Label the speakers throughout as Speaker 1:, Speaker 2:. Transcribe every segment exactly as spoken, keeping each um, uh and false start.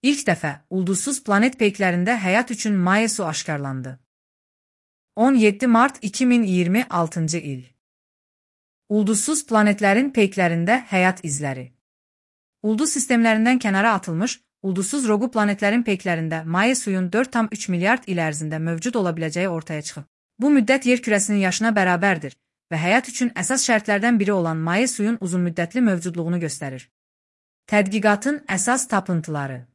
Speaker 1: İlk dəfə ulduzsuz planet peyklərində həyat üçün maye su aşkarlandı. on yeddi mart iki min iyirmi altıncı il. Ulduzsuz planetlərin peyklərində həyat izləri. Ulduz sistemlərindən kənara atılmış, ulduzsuz rogu planetlərin peyklərində maye suyun dörd tam üç milyard il ərzində mövcud ola biləcəyi ortaya çıxıb. Bu müddət yer kürəsinin yaşına bərabərdir və həyat üçün əsas şərtlərdən biri olan maye suyun uzunmüddətli mövcudluğunu göstərir. Tədqiqatın əsas tapıntıları.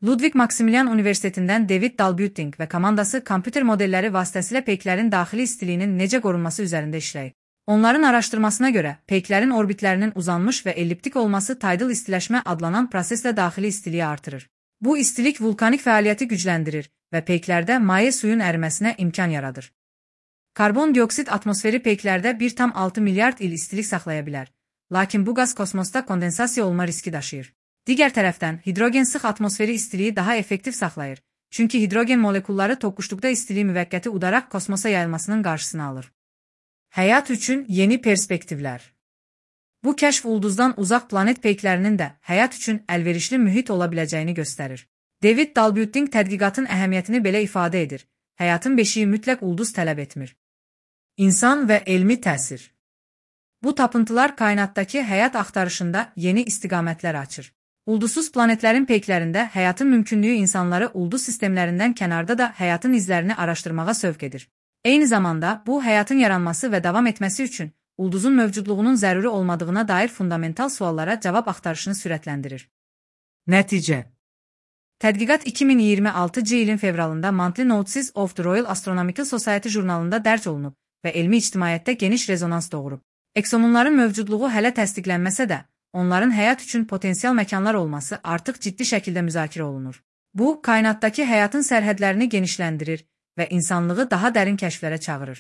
Speaker 1: Ludwig Maximilian Universitetindən David Dalbuting və komandası kompüter modelləri vasitəsilə peyklərin daxili istiliyinin necə qorunması üzərində işləyib. Onların araşdırmasına görə, peyklərin orbitlərinin uzanmış və elliptik olması tidal istiləşmə adlanan proseslə daxili istiliyi artırır. Bu istilik vulkanik fəaliyyəti gücləndirir və peyklərdə maye suyun əriməsinə imkan yaradır. Karbon dioksid atmosferi peyklərdə bir tam altı milyard il istilik saxlaya bilər, lakin bu qaz kosmosda kondensasiya olma riski daşıyır. Digər tərəfdən, hidrogen sıx atmosferi istiliyi daha effektiv saxlayır, çünki hidrogen molekulları toqquşduqda istiliyi müvəqqəti udaraq kosmosa yayılmasının qarşısını alır. Həyat üçün yeni perspektivlər. Bu kəşf ulduzdan uzaq planet peyklərinin də həyat üçün əlverişli mühit ola biləcəyini göstərir. David Dalbuting tədqiqatın əhəmiyyətini belə ifadə edir: həyatın beşiyi mütləq ulduz tələb etmir. İnsan və elmi təsir. Bu tapıntılar kainatdakı həyat axtarışında yeni istiqamətlər açır. Ulduzsuz planetlərin peyklərində həyatın mümkünlüyü insanları ulduz sistemlərindən kənarda da həyatın izlərini araşdırmağa sövq edir. Eyni zamanda, bu həyatın yaranması və davam etməsi üçün ulduzun mövcudluğunun zəruri olmadığına dair fundamental suallara cavab axtarışını sürətləndirir. Nəticə. Tədqiqat iki min iyirmi altıncı ilin fevralında Monthly Notices of the Royal Astronomical Society jurnalında dərc olunub və elmi ictimaiyyətdə geniş rezonans doğurub. Eksomunların mövcudluğu hələ təsdiqlənməsə də, onların həyat üçün potensial məkanlar olması artıq ciddi şəkildə müzakirə olunur. Bu, kainatdakı həyatın sərhədlərini genişləndirir və insanlığı daha dərin kəşflərə çağırır.